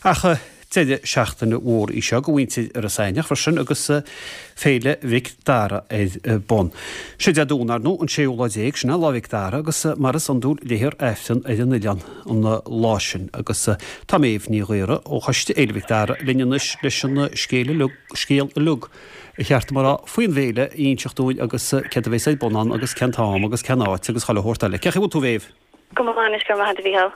Ach deireadh seachtaine mhór í seo go mhuintir Iorras Aithneach freisin agus Féile Mhic Dara ar bun. Sé Dé Domhnaigh, ar ndóigh, an séú lá déag, sin é Lá Mhic Dara agus mar is iondúil léifear Aifreann ar an oileán an lá sin. Agus tá Méabh Ní Ghaora ó Choiste Fhéile Mhic Dara linn anois leis an scéal uilig, scéal uilig ba cheart dom a rá, faoin bhféile a inseacht dúinn agus céard a bheas ar bun ann agus cén t-am agus cén áit agus chuile shórt eile. Cén chaoi a bhfuil tú a Mhéabh? Go maith anois, go raibh maith agat a Mhícheáil.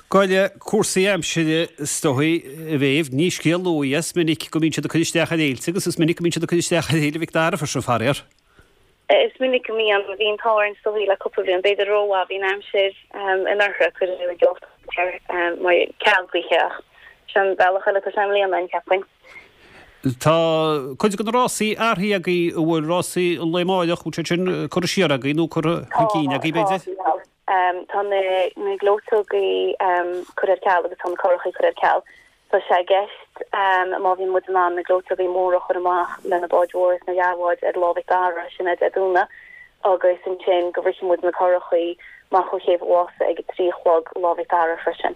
Gabh i leith cúrsaí aimsire is dóigh, a Mhéabh, ní scéal nua é, is minic go mbíonn siad ag cur isteach ar fhéilte agus is minic go mbíonn siad ag cur isteach ar Fhéile Mhic Dara freisin, faraor. Is minic go mbíonn. Bhí an t-ádh orainn is dóigh le cúpla bliain, b'fhéidir rómhaith, bhí an aimsir anuraidh, cuireadh an mar ceal gaoithe ach sin an bealach eile atá sé i mbliana, an cheapfainn. Tá cuid de na rásaí athraithe agaibh, an bhfuil rásaí an lae amáireach, bhfuil siad sin curtha siar agaibh nó curtha chun cinn agaibh, b'fhéidir? Tá na gleoiteogaí curtha ar ceal agus tá na curachaí curtha ar ceal. Tá sé i gceist, má bhíonn muid in ann, na gleoiteogaí móra a chur amach le na báid mhóra is na leathbháid ar Lá Mhic Dara, sin é Dé Domhnaigh, agus ansin go bhfrithfidh muid na curachaí amach ó Chéibh an Mhása ag a 3 a chlog Lá Mhic Dara freisin.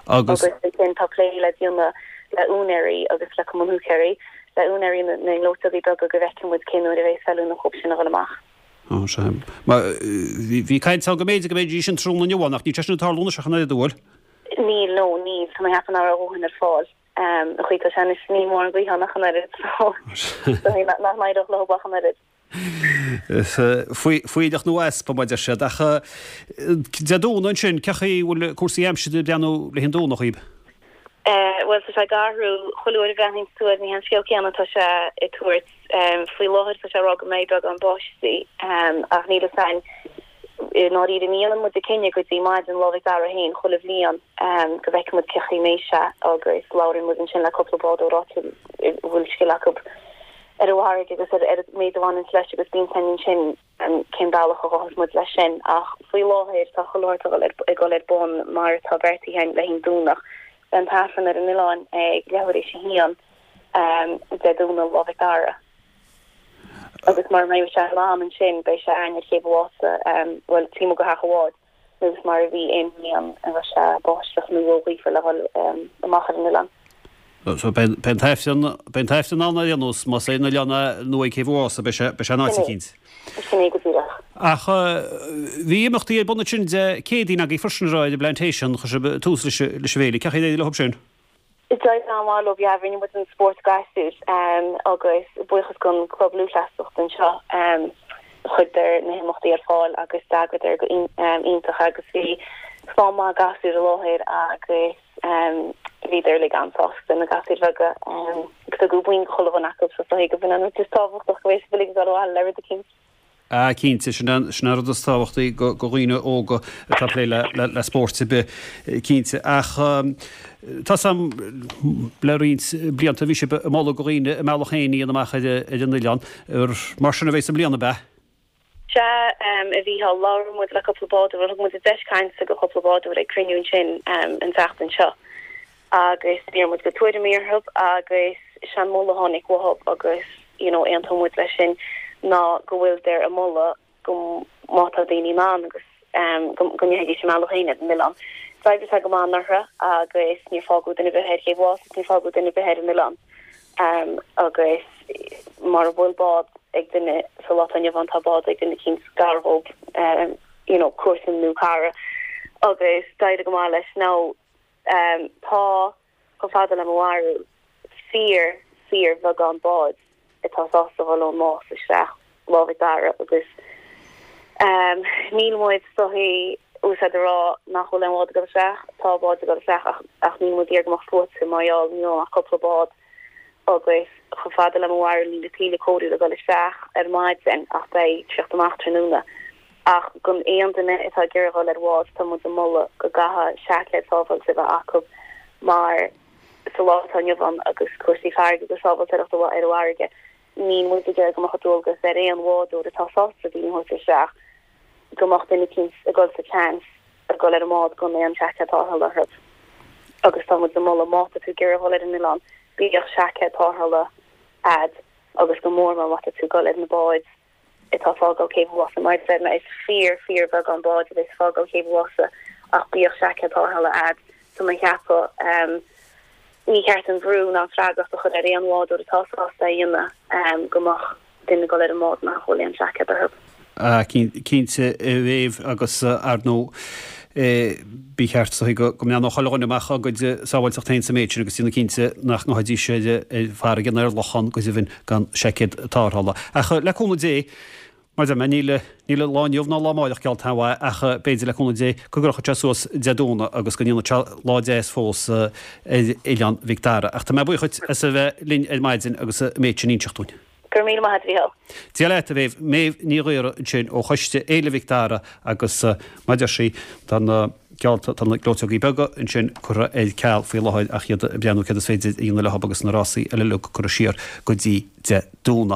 Agus ansin tá plé le déanamh le úinéirí agus le Cumann Húicéirí, le úinéirí na ngleoiteogaí beaga go bhfeicfidh muid cén uair a bheas feiliúnach dhóibh sin a dhul amach. Ó, sea. Mar bhí caint ann go mb'fhéidir go mbeidís an tráthnóna inniu ann ach níl sé sin ag tarlú anois ach an oiread, an bhfuil? Níl, no, níl. Tá mé ag ceapadh nach raibh a dhóthain ar fáil. An chaoi atá sé anois ní mórán gaoithe ann ach an oiread so nach n-éireodh leo ach an oiread. Fuílleach nó easpa, mar a deir siad. Ach Dé Domhnaigh ansin, cén chaoi a bhfuil cúrsaí aimsire ag breathnú le haghaidh an Domhnach dhaoib? Bhuel, tá sé ag athrú. Chuile uair a bhreathnaíonn tú air, ní hé an scéal céanna atá sé ag tabhairt. Faoi láthair tá sé ag rá go mbeidh beagán báistí, ach níl fhios a'inn. I ndáiríre, ní dhéanann muid an cinneadh go dtí maidin Lá Mhic Dara féin chuile bhliain go bhfeicfidh muid cén chaoi a mbeidh sé agus labhraíonn muid ansin le cúpla bádóir áitiúil a bhfuil scil acu ar an bhfarraige agus ar an méid a bhaineanns leis agus bíonn fhios a'inn ansin cén bealach a ghabhfas muid leis sin. Ach faoi láthair tá chuile shórt ag dul ar bun mar atá beartaithe againn le haghaidh an Domhnach. Beidh an tAifreann ar an oileán ag leathuair éis a haon Dé Domhnaigh, Lá Mhic Dara. Agus mura mbeidh sé in am ansin beidh sé a'inn ar Chéibh an Mhása, bhuel taobh amuigh de theach an bháid, nós mar a bhí aon bhliain a raibh sé báisteach nó róghaofar le dhul amach ar an oileán. So beidh an tAifreann, beidh an tAifreann ann ar aon nós, más ar an oileán é nó ag Céibh an Mhása, beidh sé, beidh sé in áit eicínt. Sin é go díreach. Ach bhí imeachtaí ar bun ansin Dé Céadaoin agaibh freisin ar an bPlantation, chuir sibh tús leis an bhféile. Cén chaoi ar éirigh leo sin? D'éirigh an-mhaith leo, yeah, rinne muid an spórt gasúr agus buíochas don Club Lúthchleasaíochta anseo chuireadar na himeachtaí ar fáil agus d'eagraíodar go iontach agus bhí slám maith gasúr i láthair agus bhíodar uilig an-sásta, na gasúir bheaga agus tugadh boinn do chuile dhuine acu so is dóigh go b'in an rud is tábhachtach go mbeidh siad uilig ag dul abhaile le rud eicínt. Ah cinnte, sin an rud is tábhachtaí do dhaoine óga atá ag plé le spórt ar bith, cinnte. Ach tá 's a'm le roinnt blianta bhí sibh ag moladh do dhaoine a mbealach féin a dhéanamh amach ar an oileán. Mar sin a bheas i mbliana, ab ea? Sea, a Mhícheáil, labhair muid le cúpla bádóir, thug muid deis cainte do chúpla bádóir ag cruinniú ansin an tseachtain seo. agus d'iarr muid a gcuid tuairimí orthu agus sé an moladh a tháinig uathu agus you know aontaíonn muid leis sin ná go bhfuiltear ag moladh go má tá daoine in ann agus go go ndéanfaidís a mbealach féin ar an oileán. D'oibrigh sé go maith anuraidh agus níor fágadh duine ar bith ar Chéibh an Mhása níor fágadh duine ar bith ar an oileán agus mura bhfuil bád ag duine sa lá atá inniu ann tá bád ag duine eicínt gar dhób you know comharsan nó cara agus d'éirigh go maith leis. Now Tá, chomh fada le mo bharúil, fíor, fíor bheagán báid atá sásta dhul ón Nás isteach Lá Mhic Dara agus níl muid is dóichí úsáid a rá nach bhfuil aon bhád ag dul isteach, tá báid ag dul isteach ach, ach níl muid ag iarraidh go mbeadh sluaite mar gheall níl ann ach cúpla bád agus chomh fada le mo bharúil níl a tuilleadh cóirithe le dhul isteach ar maidin ach beidh tíocht amach tráthnóna. Ach don aon duine atá ag iarraidh dhul ar bhád tá muid ag moladh go gcaithfidh seaicéad sábháilte a bheith acu mar sa lá atá inniu ann agus cúrsaí farraige agus sábháilteachta ar an bhfarraige níl muid ag iarraidh go mbeadh dualgas ar aon bhádóir atá sásta daoine a thabhairt isteach go mbeadh duine eicínt ag dul sa tseans ag dul ar an mbád gan aon seaicéad tarrthála orthu. Agus tá muid ag moladh má tá tú ag iarraidh dhul ar an oileán bíodh seaicéad tarrthála a'd agus go mór mór má tá tú ag dul ar na báid atá ag fágáil Céibh an Mhása. Mar a deir mé, is fíor, fíor bheagán báid a bheas ag fágáil Chéibh an Mhása ach bíodh seaicéad tarrthála a'd. Tá mé ag ceapadh. Ní ceart an brú ná an freagracht a chur ar aon bhádóir atá sásta é a dhéanamh go mbeadh duine ag dul ar an mbád nach bhfuil aon seaicéad orthu. Cinnte, a Mhéabh, agus ar ndóigh ba cheart go mbreathnódh chuile dhuine amach dá gcuid sábháilteacht féin sa méid sin agus déanamh cinnte nach ngabhfaidís ar farraige nó ar lochán go deimhin gan seaicéad tarrthála. Ach le cúnamh Dé, Mar a deir mé, níl, níl an lá inniu ná lá amáireach geallta aon mhaith ach b'fhéidir, le cúnamh Dé, go gcrochfaidh sé suas Dé Domhnaigh agus go ndéanfaidh sé lá deas fós ar Oileán Mhic Dara. Ach tá mé buíoch dhuit as a bheith linn ar maidin agus an méid sin a inseacht dúinn. Go raibh míle maith agat, a Mhícheáil. Dia leat, a Mhéabh. Méabh Ní Ghaora ansin ó Choiste Fhéile Mhic Dara agus mar a deir sí, tá na geallta, tá na gleoiteogaí beaga ansin curtha ar ceal faoi láthair ach iad ag breathnú céard is féidir a dhéanamh leo agus na rásaí eile uilig curtha siar go dtí Dé Domhnaigh.